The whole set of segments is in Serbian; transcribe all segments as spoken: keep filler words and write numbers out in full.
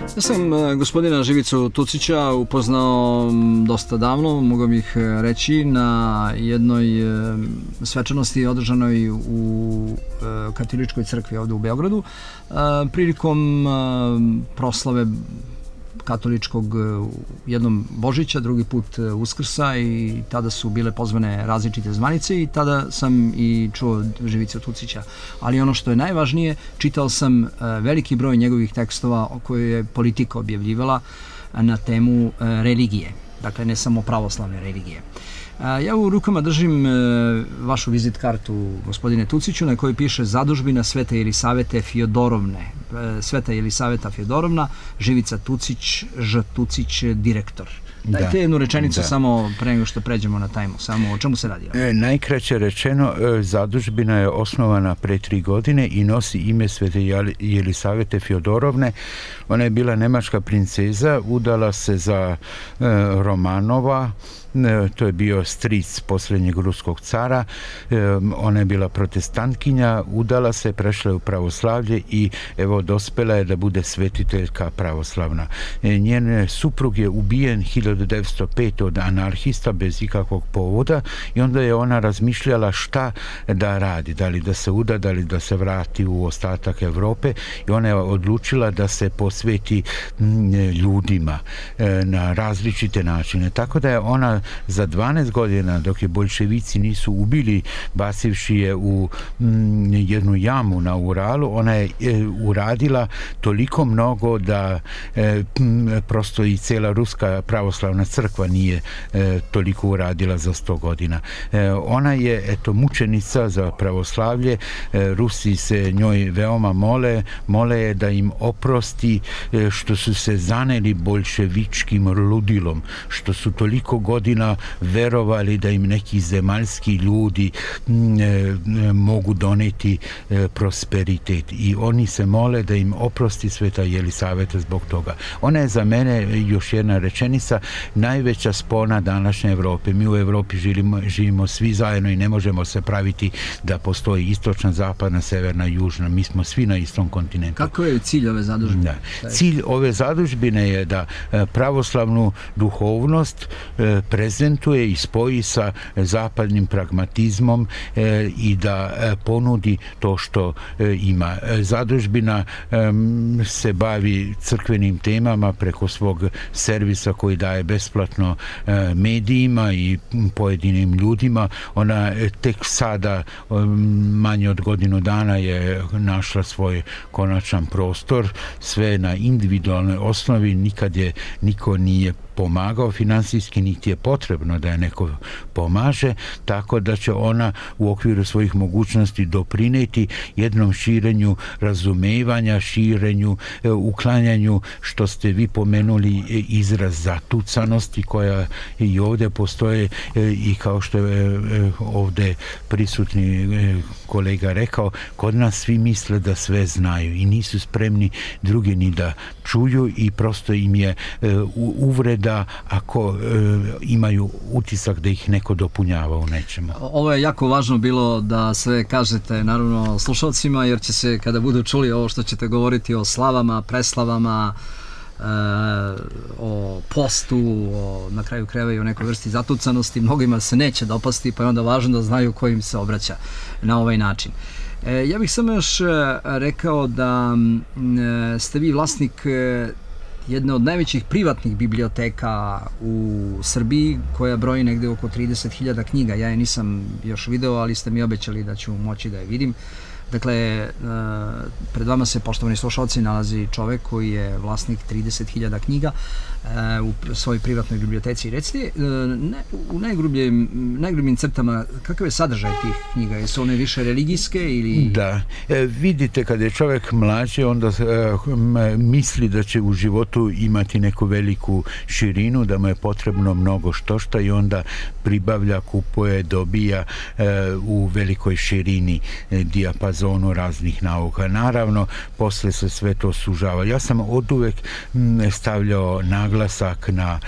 Ja sam gospodina Živicu Tucića upoznao dosta davno, mogu bih reći, na jednoj svečanosti održanoj u Katoličkoj crkvi ovde u Beogradu prilikom proslave katoličkog jednom Božića, drugi put Uskrsa, i tada su bile pozvane različite zvanice i tada sam i čuo Živicu Tucića. Ali ono što je najvažnije, čitao sam veliki broj njegovih tekstova koje je Politika objavljivala na temu religije, dakle ne samo pravoslavne religije. Ja u rukama držim vašu vizit kartu, gospodine Tuciću, na kojoj piše Zadužbina Svete Jelisavete Fjodorovne. Sveta Jelisaveta Fjodorovna, Živica Tucić, Ž. Tucić, direktor. Dajte jednu rečenicu da. Samo pre nego što pređemo na tajmu, samo o čemu se radi? E, najkraće rečeno, zadužbina je osnovana pre tri godine i nosi ime Svete Jelisavete Fjodorovne. Ona je bila nemačka princeza, udala se za e, Romanova, to je bio stric posljednjeg ruskog cara. Ona je bila protestantkinja, udala se, prešla u pravoslavlje i evo dospela je da bude svetiteljka pravoslavna. Njen suprug je ubijen hiljadu devetsto pete od anarhista bez ikakvog povoda i onda je ona razmišljala šta da radi, da li da se uda, da li da se vrati u ostatak Evrope, i ona je odlučila da se posveti ljudima na različite načine. Tako da je ona za dvanaest godina, dok je boljševici nisu ubili basivši je u m, jednu jamu na Uralu, ona je e, uradila toliko mnogo da e, m, prosto i cela ruska pravoslavna crkva nije e, toliko uradila za sto godina. E, ona je eto mučenica za pravoslavlje. E, Rusi se njoj veoma mole, mole je da im oprosti e, što su se zaneli boljševičkim ludilom, što su toliko godina verovali da im neki zemaljski ljudi m, e, mogu doneti e, prosperitet, i oni se mole da im oprosti Sveta Jelisaveta zbog toga. Ona je za mene, još jedna rečenica, najveća spona današnje Evrope. Mi u Evropi živimo, živimo svi zajedno i ne možemo se praviti da postoji istočna, zapadna, severna, južna. Mi smo svi na istom kontinentu. Kako je cilj ove zadužbine? Da. Cilj ove zadužbine je da pravoslavnu duhovnost prezentuje i spoji sa zapadnim pragmatizmom e, i da e, ponudi to što e, ima. Zadužbina e, se bavi crkvenim temama preko svog servisa koji daje besplatno e, medijima i pojedinim ljudima. Ona e, tek sada e, manje od godinu dana je našla svoj konačan prostor, sve na individualnoj osnovi, nikad je niko nije pomagao finansijski, niti je potrebno da je neko pomaže, tako da će ona u okviru svojih mogućnosti doprineti jednom širenju razumevanja, širenju, uklanjanju, što ste vi pomenuli, izraz zatucanosti koja i ovdje postoje, i kao što je ovdje prisutni kolega rekao, kod nas svi misle da sve znaju i nisu spremni drugi ni da čuju, i prosto im je uvreda da ako e, imaju utisak da ih neko dopunjava u nečemu. Ovo je jako važno bilo da sve kažete, naravno, slušalcima, jer će se, kada budu čuli ovo što ćete govoriti o slavama, preslavama, e, o postu, o, na kraju krajeva i o nekoj vrsti zatucanosti, mnogima se neće dopasti, pa je onda važno da znaju ko im se obraća na ovaj način. E, ja bih samo još rekao da e, ste vi vlasnik e, jedne od najvećih privatnih biblioteka u Srbiji, koja broji negde oko trideset hiljada knjiga. Ja je nisam još video, ali ste mi obećali da ću moći da je vidim. Dakle, pred vama se, poštovani slušalci, nalazi čovek koji je vlasnik trideset hiljada knjiga u svojoj privatnoj biblioteci. Recite, u najgrubljim, najgrubljim crtama, kakav je sadržaj tih knjiga? Jesu one više religijske ili... Da. E, vidite, kada je čovek mlađe, onda e, misli da će u životu imati neku veliku širinu, da mu je potrebno mnogo štošta, i onda pribavlja, kupuje, dobija e, u velikoj širini e, dijapazona zonu raznih nauka. Naravno, posle se sve to sužava. Ja sam oduvek stavljao naglasak na,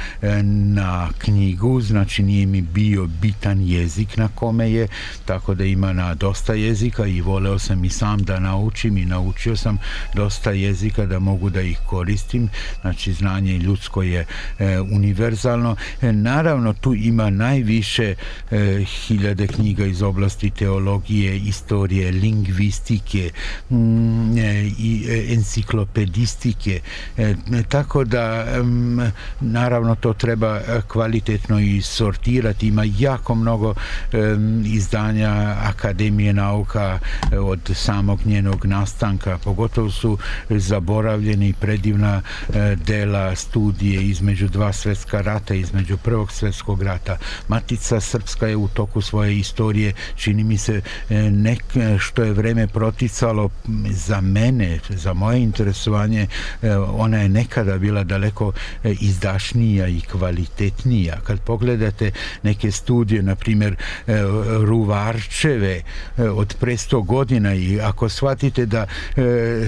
na knjigu, znači nije mi bio bitan jezik na kome je, tako da ima na dosta jezika i voleo sam i sam da naučim i naučio sam dosta jezika da mogu da ih koristim. Znači, znanje ljudsko je e, univerzalno. E, naravno, tu ima najviše e, hiljade knjiga iz oblasti teologije, istorije, lingvistike mm, e, i e, enciklopedistike. E, tako da, m, naravno, to treba kvalitetno i sortirati. Ima jako mnogo e, izdanja Akademije nauka e, od samog njenog nastanka. Pogotovo su zaboravljeni predivna e, dela, studije između dva svjetska rata, između prvog svjetskog rata. Matica Srpska je u toku svoje istorije, čini mi se, nek, što je vreme proticalo za mene, za moje interesovanje, ona je nekada bila daleko izdašnija i kvalitetnija. Kad pogledate neke studije, na primjer Ruvarčeve od pre sto godina, i ako shvatite da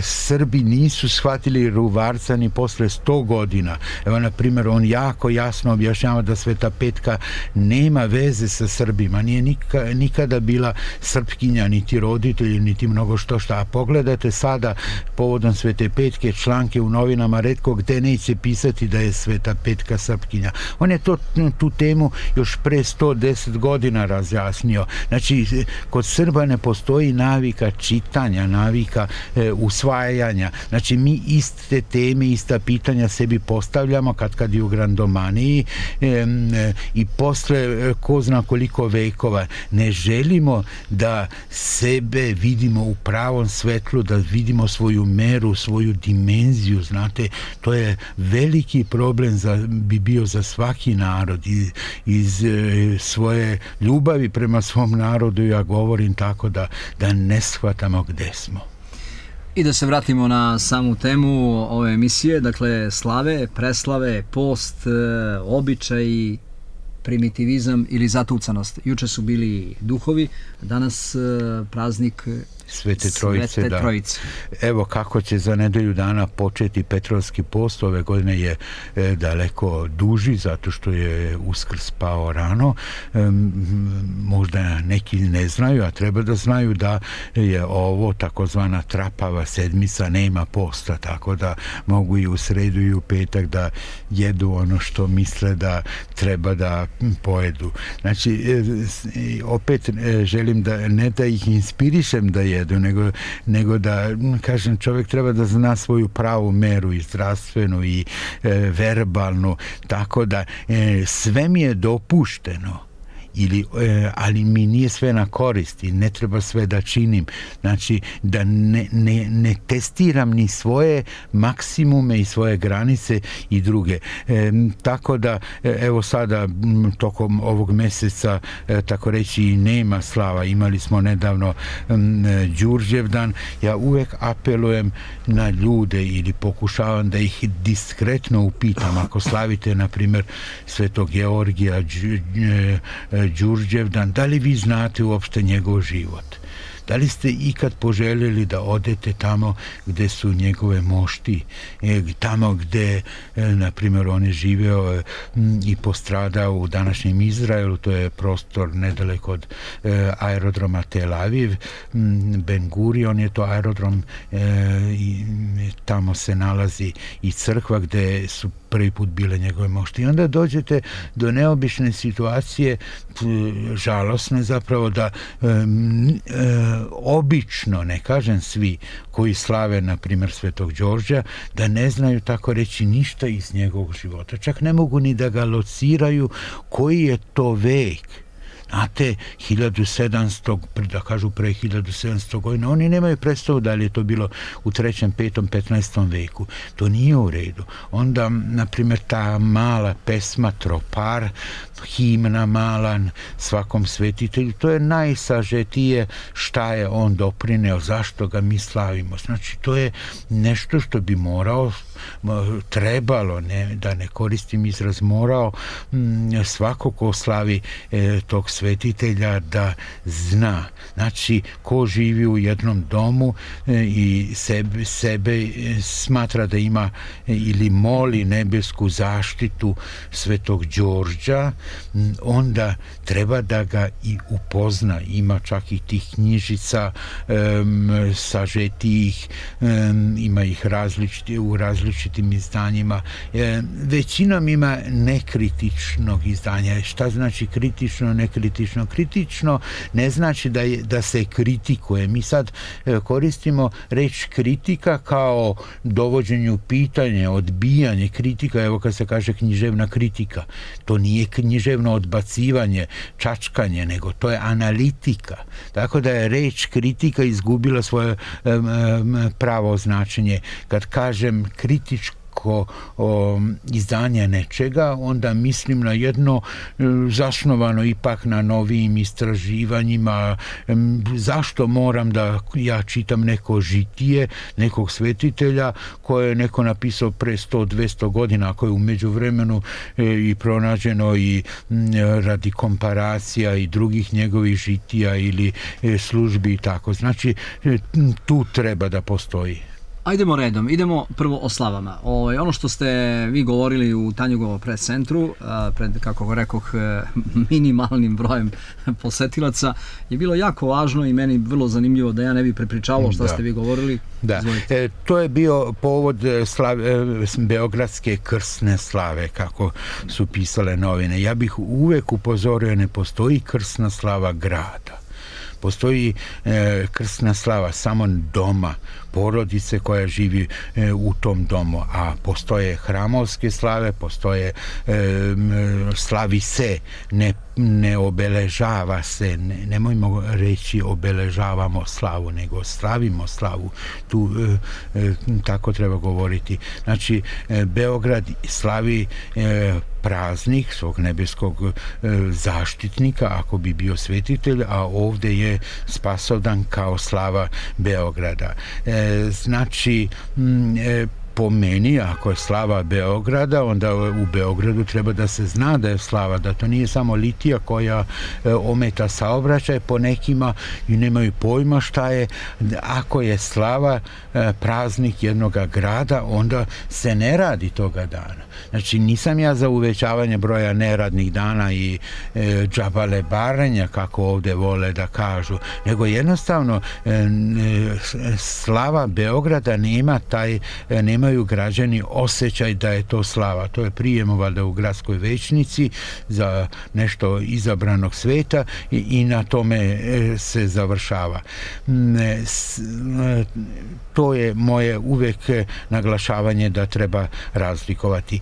Srbi nisu shvatili Ruvarca ni posle sto godina. Evo, na primjer, on jako jasno objašnjava da Sveta Petka nema veze sa Srbima, nije nika, nikada bila Srpkinja, niti roditelji, niti mnogo što šta. A pogledajte sada povodom Svete Petke članke u novinama, retko gde neće pisati da je Sveta Petka Srpkinja. On je to, tu temu još pre sto deset godina razjasnio. Znači, kod Srba ne postoji navika čitanja, navika e, usvajanja. Znači, mi iste teme, ista pitanja sebi postavljamo kad kad je u grandomaniji e, e, i posle ko zna koliko vekova. Ne želimo da sebe vidimo u pravom svetlu, da vidimo svoju meru, svoju dimenziju, znate, to je veliki problem za, bi bio za svaki narod. Iz, iz e, svoje ljubavi prema svom narodu ja govorim tako da, da ne shvatamo gde smo. I da se vratimo na samu temu ove emisije, dakle slave, preslave, post, običaj, primitivizam ili zatucanost. Juče su bili duhovi, danas praznik Svete Trojice, Svete da. Trojice. Evo kako će za nedelju dana početi Petrovski post. Ove godine je e, daleko duži zato što je Uskrs pao rano. E, možda neki ne znaju, a treba da znaju da je ovo takozvana trapava sedmica, nema posta, tako da mogu i u sredu i u petak da jedu ono što misle da treba da pojedu. Znači, e, opet e, želim da ne da ih inspirišem da je jedu, nego, nego da, kažem, čovjek treba da zna svoju pravu meru i zdravstvenu i e, verbalnu, tako da e, sve mi je dopušteno. Ili, e, ali mi nije sve na korist i ne treba sve da činim. Znači, da ne, ne, ne testiram ni svoje maksimume i svoje granice i druge. E, tako da, evo sada, m, tokom ovog meseca, e, tako reći, i nema slava. Imali smo nedavno m, Đurđevdan. Ja uvek apelujem na ljude ili pokušavam da ih diskretno upitam. Ako slavite, na primjer, Svetog Georgija, Đ, e, Đurđevdan, da li vi znate uopšte njegov život? Da li ste ikad poželjeli da odete tamo gde su njegove mošti, tamo gde, na primjer, on je živeo i postradao u današnjem Izraelu, to je prostor nedaleko od aerodroma Tel Aviv, Ben Gurion je to aerodrom i tamo se nalazi i crkva gde su prvi put bile njegove mošti. I onda dođete do neobične situacije, žalosne zapravo, da um, obično, ne kažem svi, koji slave, na primjer, Svetog Đorđa, da ne znaju, tako reći, ništa iz njegovog života. Čak ne mogu ni da ga lociraju koji je to vek. Znate, hiljadu sedamsto, da kažu pre hiljadu sedamsto godina, oni nemaju predstavu da li je to bilo u trećem, petom, petnaestom veku. To nije u redu. Onda, na primjer, ta mala pesma Tropar, himna mala svakom svetitelju, to je najsažetije šta je on doprineo, zašto ga mi slavimo. Znači, to je nešto što bi morao, trebalo, ne, da ne koristim izraz morao, svako ko slavi e, tog svetitelja da zna. Znači, ko živi u jednom domu i sebe, sebe smatra da ima ili moli nebesku zaštitu Svetog Đorđa, onda treba da ga i upozna. Ima čak i tih knjižica um, sažetijih, um, ima ih različiti, u različitim izdanjima. Um, većinom ima nekritičnog izdanja. Šta znači kritično, nekritično? Kritično ne znači da, je, da se kritikuje. Mi sad koristimo reč kritika kao dovođenju pitanja, odbijanje, kritika. Evo kad se kaže književna kritika, to nije književno odbacivanje, čačkanje, nego to je analitika. Tako da je reč kritika izgubila svoje um, pravo značenje. Kad kažem kritičko o, izdanje nečega, onda mislim na jedno zasnovano ipak na novijim istraživanjima. Zašto moram da ja čitam neko žitije nekog svetitelja koje je neko napisao pre sto do dvesta godina, ako je u međuvremenu i pronađeno i radi komparacija i drugih njegovih žitija ili službi i tako. Znači, tu treba da postoji. Ajdemo redom, idemo prvo o slavama. O, ono što ste vi govorili u Tanjugovo pres centru, pred, kako rekoh, minimalnim brojem posetilaca, je bilo jako važno i meni vrlo zanimljivo da ja ne bi prepričavao šta da. ste vi govorili. Da, e, to je bio povod slave, Beogradske krsne slave, kako su pisale novine. Ja bih uvek upozorio, ne postoji krsna slava grada. Postoji e, krsna slava samo doma, porodice koja živi e, u tom domu, a postoje hramovske slave, postoje e, slavi se, ne, ne obeležava se, ne, nemojmo reći obeležavamo slavu, nego slavimo slavu. Tu e, e, tako treba govoriti. Znači, e, Beograd slavi e, praznik svog nebeskog e, zaštitnika, ako bi bio svetitelj, a ovdje je Spasovdan kao slava Beograda. E, znači, m, e, po meni, ako je slava Beograda, onda u Beogradu treba da se zna da je slava, da to nije samo litija koja e, ometa saobraćaj po nekima i nemaju pojma šta je. Ako je slava e, praznik jednog grada, onda se ne radi toga dana. Znači, nisam ja za uvećavanje broja neradnih dana i e, džabale barenja, kako ovdje vole da kažu, nego jednostavno e, e, slava Beograda nema taj, e, nema imaju građani osjećaj da je to slava. To je prijemo valjda u gradskoj većnici za nešto izabranog sveta i, i na tome se završava. To je moje uvek naglašavanje da treba razlikovati.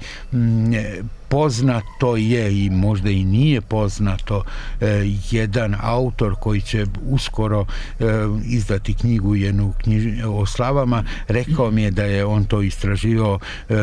Poznato je i možda i nije poznato eh, jedan autor koji će uskoro eh, izdati knjigu jednu knjiž, o slavama, rekao mi je da je on to istraživao eh,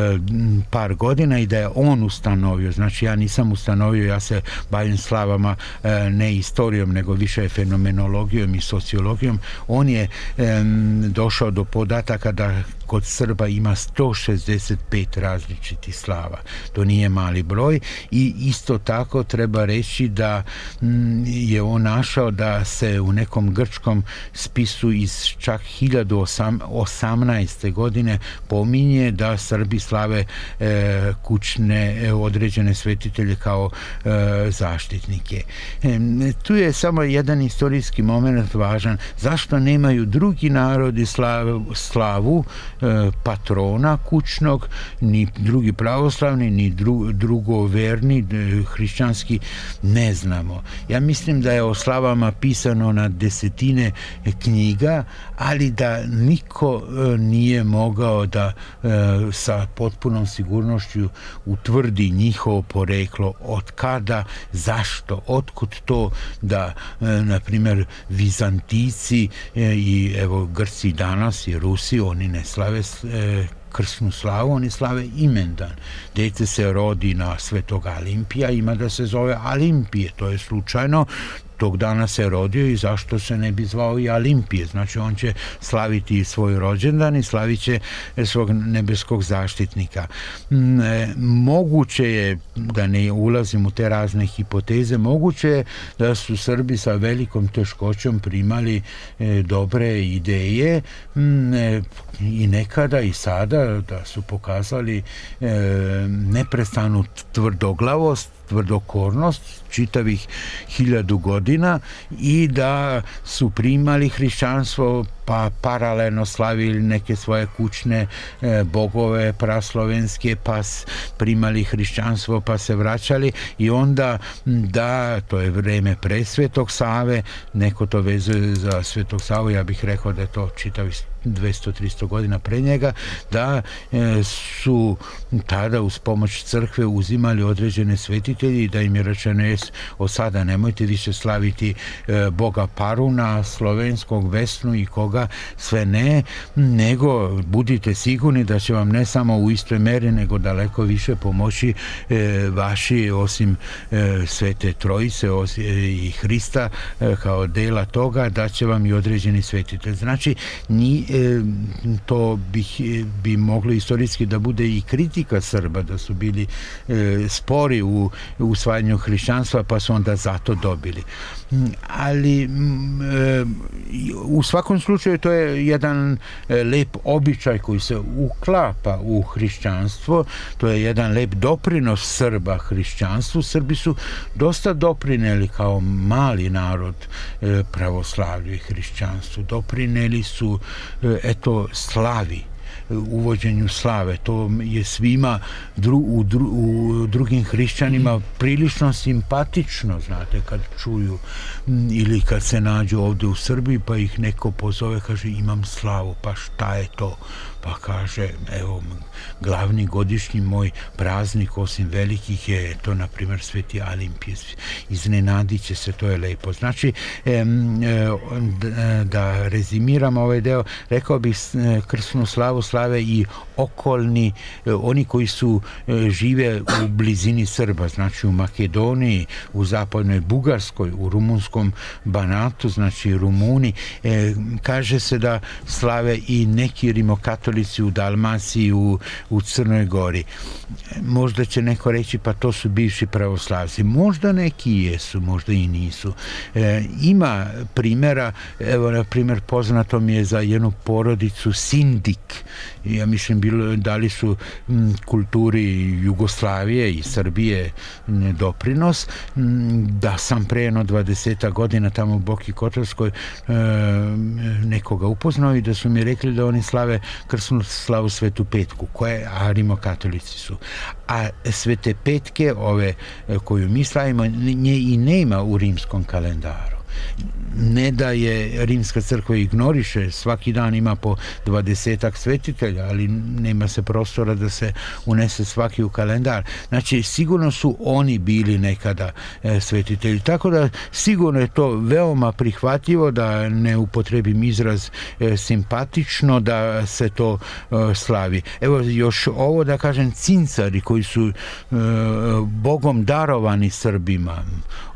par godina i da je on ustanovio, znači ja nisam ustanovio, ja se bavim slavama eh, ne istorijom nego više fenomenologijom i sociologijom. On je eh, došao do podataka da kod Srba ima sto šezdeset pet različitih slava. To nije mali broj i isto tako treba reći da m, je on našao da se u nekom grčkom spisu iz čak hiljadu osamnaeste godine pominje da Srbi slave e, kućne e, određene svetitelje kao e, zaštitnike. E, tu je samo jedan istorijski moment važan. Zašto nemaju drugi narodi slavu, slavu patrona kućnog, ni drugi pravoslavni, ni dru, drugoverni, hrišćanski, ne znamo. Ja mislim da je o slavama pisano na desetine knjiga, ali da niko nije mogao da sa potpunom sigurnošću utvrdi njihovo poreklo, od kada, zašto, otkud to da, na primjer, Vizantici i evo Grci danas i Rusi, oni ne slave krsnu slavu, oni slave imendan. Dete se rodi na Svetog Alimpija, ima da se zove Alimpije, to je slučajno. tog dana se rodio i zašto se ne bi zvao i Alimpije. Znači on će slaviti svoj rođendan i slavit će svog nebeskog zaštitnika. Moguće je, da ne ulazim u te razne hipoteze, moguće je da su Srbi sa velikom teškoćom primali dobre ideje i nekada i sada, da su pokazali neprestanu tvrdoglavost, tvrdokornost čitavih hiljadu godina i da su primali hrišćanstvo pa paralelno slavili neke svoje kućne e, bogove praslovenske, pa primali hrišćanstvo pa se vraćali i onda da, to je vreme pre Svetog Save, neko to vezuje za Svetog Savu, ja bih rekao da je to čitavih dvesta do trista godina pre njega, da e, su tada uz pomoć crkve uzimali određene svetitelji i da im je rečeno je od sada nemojte više slaviti e, Boga Paruna, slovenskog Vesnu i koga sve ne, nego budite sigurni da će vam ne samo u istoj meri nego daleko više pomoći e, vaši osim e, Svete Trojice osim, e, i Hrista e, kao dela toga, da će vam i određeni svetitelj. Znači ni to bih, bi moglo istorijski da bude i kritika Srba, da su bili e, spori u usvajanju hrišćanstva pa su onda zato dobili. Ali e, u svakom slučaju to je jedan lep običaj koji se uklapa u hrišćanstvo, to je jedan lep doprinos Srba hrišćanstvu. Srbi su dosta doprineli kao mali narod e, pravoslavlju i hrišćanstvu. Doprineli su e, eto slavi, uvođenju slave. To je svima dru, u, dru, u drugim hrišćanima prilično simpatično, znate, kad čuju ili kad se nađu ovde u Srbiji pa ih neko pozove, kaže imam slavu, pa šta je to? Pa kaže, evo, glavni godišnji moj praznik osim velikih je to, na primjer, Sveti Alimpije. Iznenadit će se, to je lepo. Znači, e, da rezimiram ovaj deo, rekao bih krsnu slavu slave i okolni, oni koji su žive u blizini Srba, znači u Makedoniji, u zapadnoj Bugarskoj, u rumunskom Banatu, znači Rumuni. E, kaže se da slave i neki rimokatolici u Dalmaciji, u, u Crnoj Gori. Možda će neko reći pa to su bivši pravoslavci. Možda neki jesu, možda i nisu. E, ima primjera, evo na primjer poznato mi je za jednu porodicu Sindik. Ja mislim bilo, dali su m, kulturi Jugoslavije i Srbije m, doprinos. M, da sam pre jedno dvadeset godina tamo u Boki Kotorskoj e, nekoga upoznao i da su mi rekli da oni slave krsnu slavu Svetu Petku, koje, a rimokatolici su. A Svete Petke, ove koju mi slavimo, nje i nema u rimskom kalendaru. Ne da je rimska crkva ignoriše, svaki dan ima po dvadesetak svetitelja, ali nema se prostora da se unese svaki u kalendar. Znači, sigurno su oni bili nekada e, svetitelji. Tako da, sigurno je to veoma prihvatljivo, da ne upotrebim izraz e, simpatično, da se to e, slavi. Evo, još ovo da kažem, cincari koji su e, Bogom darovani Srbima,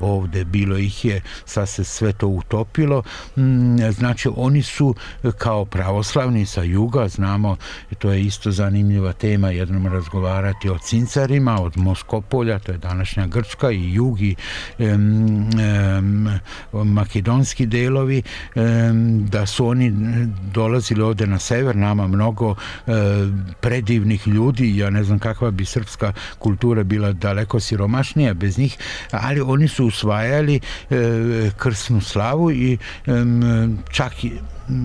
ovde bilo ih je, sad se sve to utopilo, znači oni su kao pravoslavni sa juga, znamo, to je isto zanimljiva tema, jednom razgovarati o cincarima, od Moskopolja, to je današnja Grčka, i jug i um, um, makedonski delovi, um, da su oni dolazili ovde na sever, nama mnogo um, predivnih ljudi, ja ne znam kakva bi srpska kultura bila daleko siromašnija bez njih, ali oni su usvajali um, krsnu slavu i um, čak i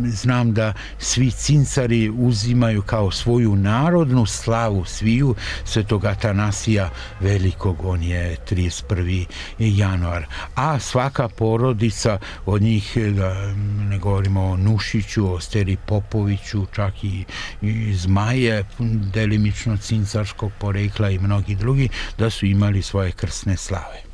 znam da svi cincari uzimaju kao svoju narodnu slavu sviju Svetog Atanasija Velikog, on je trideset prvi januar. A svaka porodica od njih, da ne govorimo o Nušiću, o Steri Popoviću, čak i, i Zmaje, delimično cincarskog porekla i mnogi drugi, da su imali svoje krsne slave.